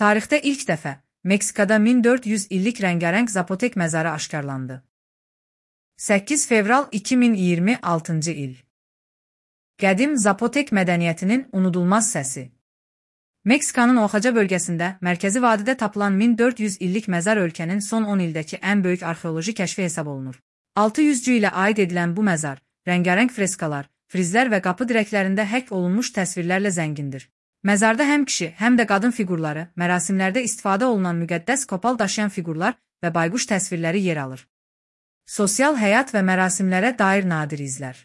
Tarixdə ilk dəfə Meksikada 1400 illik rəngarəng Zapotek məzarı aşkarlandı. 8 fevral 2026-cı il. Qədim Zapotek mədəniyyətinin unudulmaz səsi. Meksikanın Oaxaca bölgəsində, mərkəzi vadidə tapılan 1400 illik məzar ölkənin son 10 ildəki ən böyük arxeoloji kəşfi hesab olunur. 600-cü ilə aid edilən bu məzar, rəngarəng freskalar, frizlər və qapı dirəklərində həkk olunmuş təsvirlərlə zəngindir. Məzarda həm kişi, həm də qadın fiqurları, mərasimlərdə istifadə olunan müqəddəs kopal daşıyan fiqurlar və bayquş təsvirləri yer alır. Sosial həyat və mərasimlərə dair nadir izlər.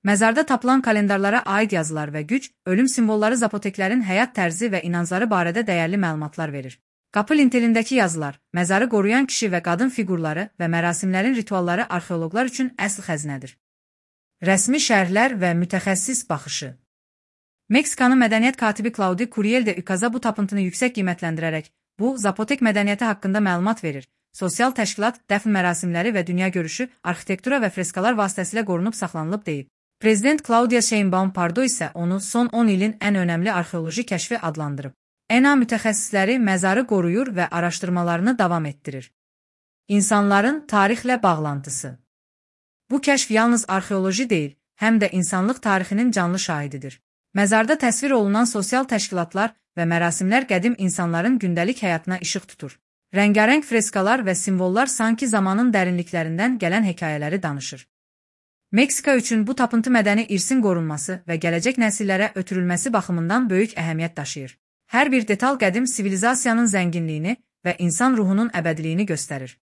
Məzarda tapılan kalendarlara aid yazılar və güc, ölüm simvolları zapoteklərin həyat tərzi və inancları barədə dəyərli məlumatlar verir. Qapı lintelindəki yazılar, məzarı qoruyan kişi və qadın fiqurları və mərasimlərin ritualları arxeoloqlar üçün əsl xəzinədir. Rəsmi şərhlər və mütəxəssis baxışı. Meksikanın mədəniyyət katibi Claudia Curiel de Ucaza bu tapıntını yüksək qiymətləndirərək, bu, Zapotek mədəniyyəti haqqında məlumat verir. Sosial təşkilat, dəfn mərasimləri və dünya görüşü, arxitektura və freskalar vasitəsilə qorunub saxlanılıb deyib. Prezident Claudia Sheinbaum Pardo isə onu son 10 ilin ən önəmli arxeoloji kəşfi adlandırıb. ENA mütəxəssisləri məzarı qoruyur və araşdırmalarını davam etdirir. İnsanların tarixlə bağlantısı. Bu kəşf yalnız arxeoloji deyil, həm də insanlıq tarixinin canlı şahididir. Məzarda təsvir olunan sosial təşkilatlar və mərasimlər qədim insanların gündəlik həyatına işıq tutur. Rəngarəng freskalar və simvollar sanki zamanın dərinliklərindən gələn hekayələri danışır. Meksika üçün bu tapıntı mədəni irsin qorunması və gələcək nəsillərə ötürülməsi baxımından böyük əhəmiyyət daşıyır. Hər bir detal qədim sivilizasiyanın zənginliyini və insan ruhunun əbədiliyini göstərir.